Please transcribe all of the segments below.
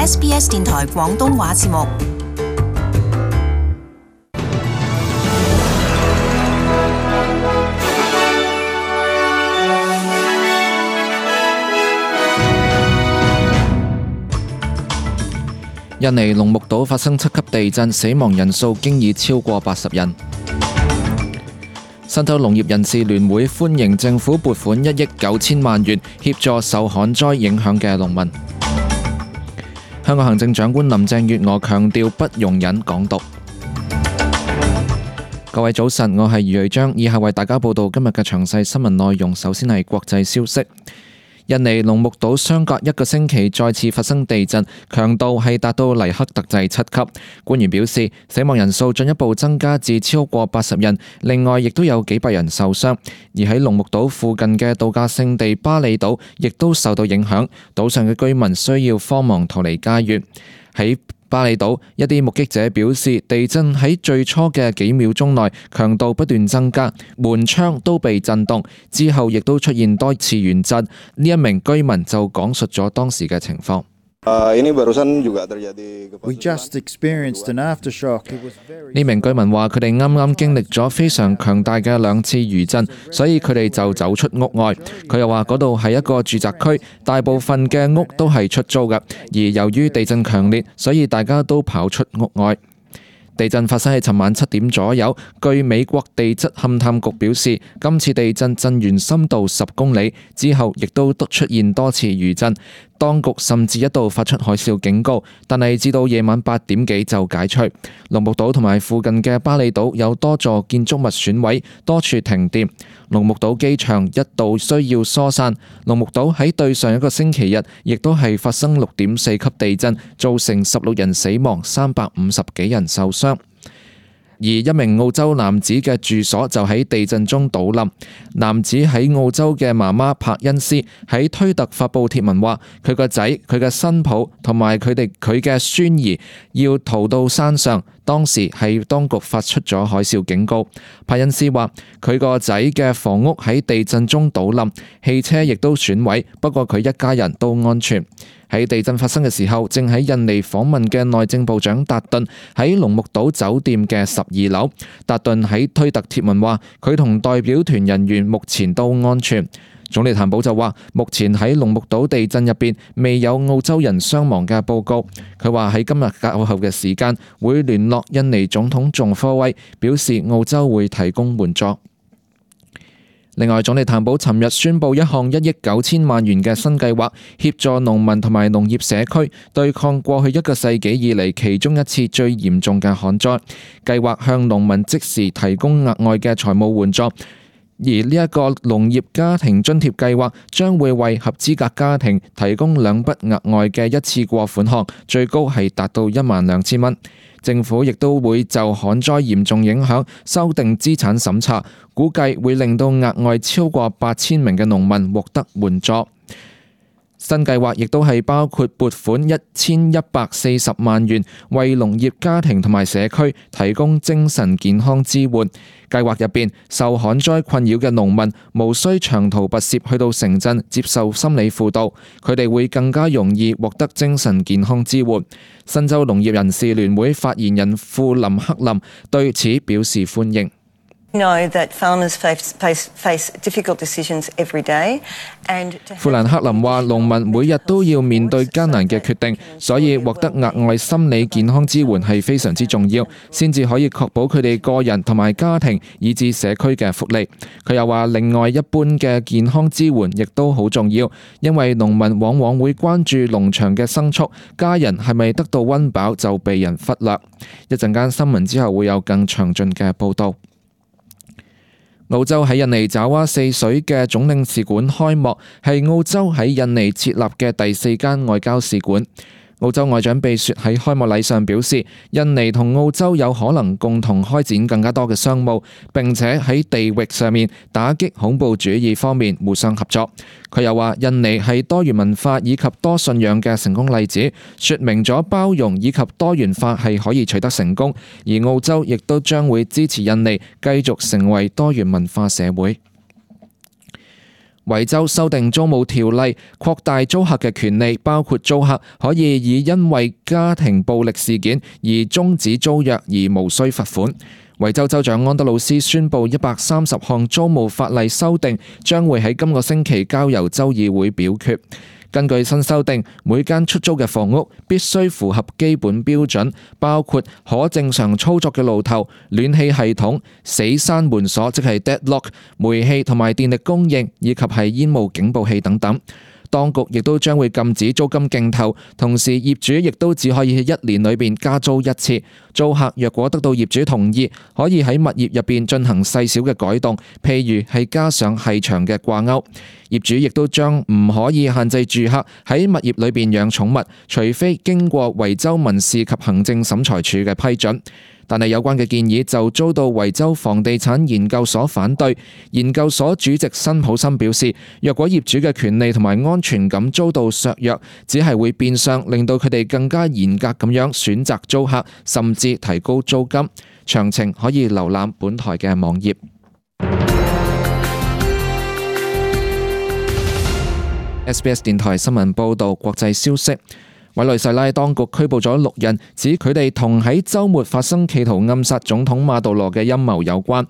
SBS 電台廣東話節目。印尼龍目島發生7級地震，死亡人數經已超過80人。新州農業人士聯會歡迎政府撥款1億9千萬元協助受旱災影響嘅農民。香港行政長官林鄭月娥強調不容忍港獨。各位早晨，我係余瑞章，以下為大家報道今日嘅詳細新聞內容。首先係國際消息。印尼龍目島相隔1個星期再次發生地震，強度係達到黎克特制7級。官員表示，死亡人數進一步增加至超過80人，另外亦都有幾百人受傷。而喺龍目島附近嘅度假勝地巴厘島亦都受到影響，島上嘅居民需要慌忙逃離家園。喺巴厘島，一啲目擊者表示，地震喺最初嘅幾秒鐘內強度不斷增加，門窗都被震動，之後亦都出現多次餘震。呢一名居民就講述咗當時嘅情況。呢名居民話：佢哋啱啱經歷咗非常強大嘅2次餘震，所以佢哋就走出屋外。佢又話嗰度係一個住宅區，大部分嘅屋都係出租嘅，而由於地震強烈，所以大家都跑出屋外。地震發生喺尋晚7點左右。據美國地質勘探局表示，今次地震震源深度10公里，之後亦都出現多次餘震。當局甚至一度發出海嘯警告，但係至到夜晚8點幾就解除。龍目島同埋附近嘅巴厘島有多座建築物損毀，多處停電。龍目島機場一度需要疏散。龍目島喺對上一個星期日亦都係發生6.4級地震，造成16人死亡，350幾人受傷。而一名澳洲男子嘅住所就喺地震中倒冧。男子喺澳洲嘅媽媽柏恩斯喺推特發布貼文話，佢個仔、佢嘅新抱同埋佢嘅孫兒要逃到山上，當時係當局發出咗海嘯警告。柏恩斯話，佢個仔嘅房屋喺地震中倒冧，汽車亦都損毀，不過佢一家人都安全。喺地震發生嘅時候，正喺印尼訪問嘅內政部長達頓喺龍目島酒店嘅12樓。達頓喺推特貼文話，佢同代表團人員目前都安全。總理譚寶就話，目前喺龍目島地震入邊未有澳洲人傷亡嘅報告。佢話喺今日較後嘅時間會聯絡印尼總統仲科威，表示澳洲會提供援助。另外，總理譚寶尋日宣布一項1億9千萬元嘅新計劃，協助農民同埋農業社區對抗過去1個世紀以嚟其中一次最嚴重嘅旱災。計劃向農民即時提供額外嘅財務援助，而呢一個農業家庭津貼計劃將會為合資格家庭提供2筆額外嘅一次過款項，最高係達到12000蚊。政府亦都會就旱災嚴重影響修訂資產審查，估計會令到額外超過8000名嘅農民獲得援助。新計劃亦都係包括撥款1140萬元，為農業家庭同埋社區提供精神健康支援。計劃入邊，受旱災困擾嘅農民無需長途跋涉去到城鎮接受心理輔導，佢哋會更加容易獲得精神健康支援。新州農業人士聯會發言人富林克林對此表示歡迎。富蘭克林話，農民每日都要面對艱難嘅決定，所以獲得額外心理健康支援係非常之重要，先至可以確保佢哋個人同埋家庭以至社區嘅福利。佢又話，另外一般嘅健康支援亦都好重要，因為農民往往會關注農場嘅牲畜，家人係咪得到溫飽就被人忽略。一陣間新聞之後會有更詳盡嘅報導。澳洲喺印尼爪哇4水嘅總領事館開幕，係澳洲喺印尼設立嘅第4間外交使館。澳洲外長貝雪喺開幕禮上表示，印尼同澳洲有可能共同開展更加多嘅商務，並且喺地域上面打擊恐怖主義方面互相合作。佢又話，印尼係多元文化以及多信仰嘅成功例子，說明咗包容以及多元化係可以取得成功，而澳洲亦都將會支持印尼繼續成為多元文化社會。維州修訂租務條例，擴大租客嘅權利，包括租客可以以因為家庭暴力事件而終止租約而無需罰款。維州州長安德魯斯宣布130項租務法例修訂將會喺今個星期交由州議會表決。根據新修訂，每間出租嘅房屋必須符合基本標準，包括可正常操作嘅路頭、暖氣系統、死閂門鎖即係 deadlock、煤氣同埋電力供應，以及係煙霧警報器等等。當局亦都將會禁止租金競投，同時業主亦都只可以喺1年裏邊加租一次。租客若果得到業主同意，可以喺物業入邊進行細小嘅改動，譬如係加上細長嘅掛鈎。業主亦都將唔可以限制住客喺物業裏邊養寵物，除非經過維州民事及行政審裁處嘅批准。但係有關嘅建議就遭到維州房地產研究所反對。研究所主席辛普森表示，若果業主嘅權利同埋安全感遭到削弱，只係會變相令到佢哋更加嚴格咁樣選擇租客，甚至提高租金。詳情可以瀏覽本台嘅網頁。SBS 電台新聞報導，國際消息。委內瑞拉當局拘捕咗6人，指佢哋同喺週末發生企圖暗殺總統馬杜羅嘅陰謀有關。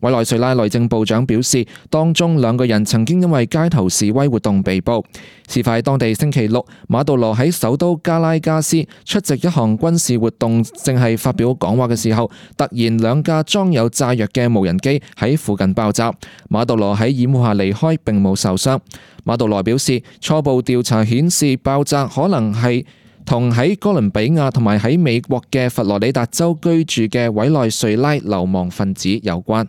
委內瑞拉內政部長表示，當中2個人曾經因為街頭示威活動被捕。事發當地星期六，馬杜羅喺首都加拉加斯出席一項軍事活動，正係發表講話嘅時候，突然2架裝有炸藥嘅無人機喺附近爆炸。馬杜羅喺掩護下離開，並冇受傷。馬杜羅表示，初步調查顯示爆炸可能係同喺哥倫比亞同埋喺美國嘅佛羅里達州居住嘅委內瑞拉流亡分子有關。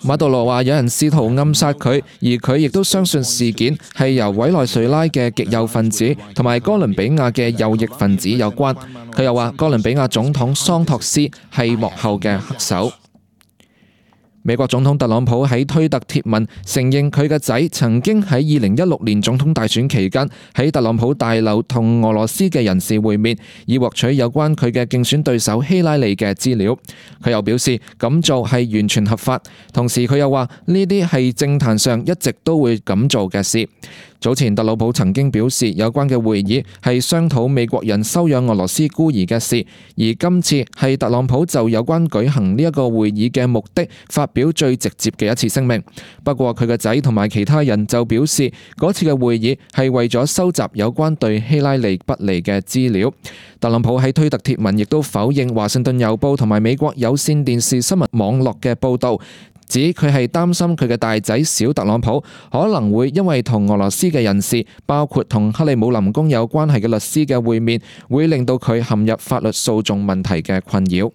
馬杜羅話有人試圖暗殺佢，而佢亦都相信事件係由委內瑞拉嘅極右分子同埋哥倫比亞嘅右翼分子有關。佢又話哥倫比亞總統桑托斯係幕後嘅黑手。美國總統特朗普喺推特貼文承認佢嘅仔曾經喺2016年總統大選期間喺特朗普大樓同俄羅斯嘅人士會面，以獲取有關佢嘅競選對手希拉里嘅資料。佢又表示咁做係完全合法，同時佢又話呢啲係政壇上一直都會咁做嘅事。早前特朗普曾經表示有關嘅會議係商討美國人收養俄羅斯孤兒嘅事，而今次係特朗普就有關舉行呢一個會議嘅目的發表最直接嘅一次聲明。不過佢嘅仔同埋其他人就表示嗰次嘅會議係為咗收集有關對希拉里不利嘅資料。特朗普喺推特貼文亦都否認華盛頓郵報同埋美國有線電視新聞網絡嘅報導，指佢係擔心佢嘅大仔小特朗普可能會因為同俄羅斯嘅人士，包括同克里姆林宮有關係嘅律師嘅會面，會令到佢陷入法律訴訟問題嘅困擾。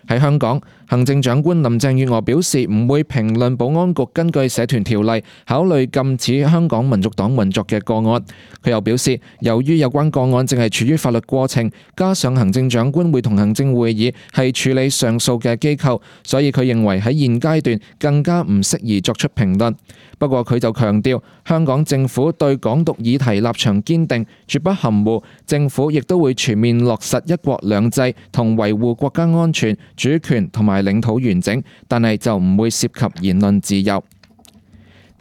喺香港，行政長官林鄭月娥表示唔會評論保安局根據社團條例考慮禁止香港民族黨運作嘅個案。佢又表示，由於有關個案正係處於法律過程，加上行政長官會同行政會議係處理上訴嘅機構，所以佢認為喺現階段更加唔適宜作出評論。不過佢就強調，香港政府對港獨議題立場堅定，絕不含糊。政府亦都會全面落實一國兩制同維護國家安全、主權同埋領土完整，但係就唔會涉及言論自由。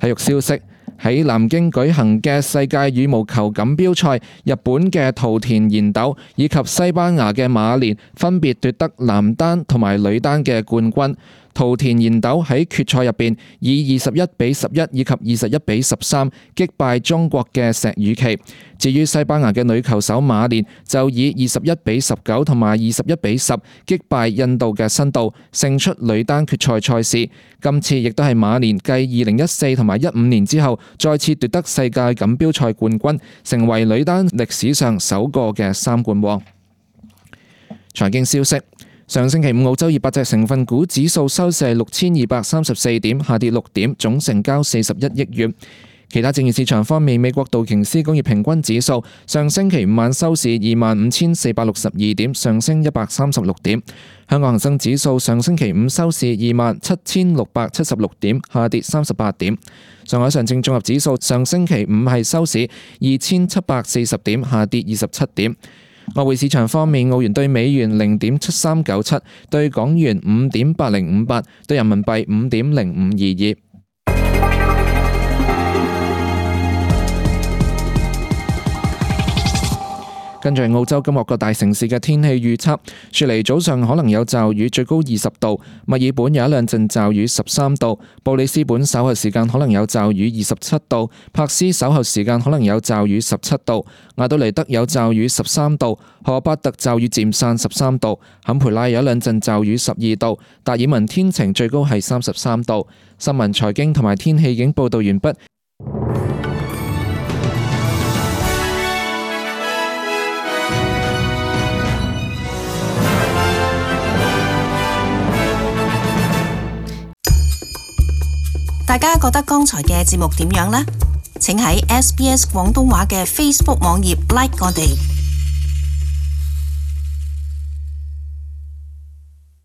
體育消息，喺南京舉行嘅世界羽毛球錦標賽，日本嘅桃田賢斗以及西班牙嘅馬連分別奪得男單同埋女單嘅冠軍。桃田賢斗喺決賽入邊以21-11以及21-13擊敗中國嘅石宇奇。至於西班牙嘅女球手馬連就以21-19同埋21-10擊敗印度嘅辛度，勝出女單決賽賽事。今次亦都係馬連繼2014同埋15年之後再次奪得世界錦標賽冠軍，成為女單歷史上首個嘅3冠王。財經消息，上星期五澳洲200隻成分股指數收市係6234點，下跌6點，總成交41億元。其他證券市場方面，美國道瓊斯工業平均指數上星期五晚收市25,462點，上升136點。香港恒生指數上星期五收市27,676點，下跌38點。上海上證綜合指數上星期五係收市2740點，下跌27點。外匯市場方面，澳元對美元0.7397，對港元5.8058，對人民幣5.0522。跟住澳洲今日各大城市嘅天氣預測，雪梨早上可能有驟雨，最高20度；墨爾本有一兩陣驟雨，13度；布里斯本稍後時間可能有驟雨，27度；珀斯稍後時間可能有驟雨，17度；亞德尼德有驟雨，13度；荷巴特驟雨漸散，13度；坎培拉有一兩陣驟雨，12度；達爾文天晴，最高係33度。新聞、財經同埋天氣已經報導完畢。大家覺得剛才嘅節目點樣呢？請喺SBS 廣東話嘅 Facebook 網頁 like 我哋。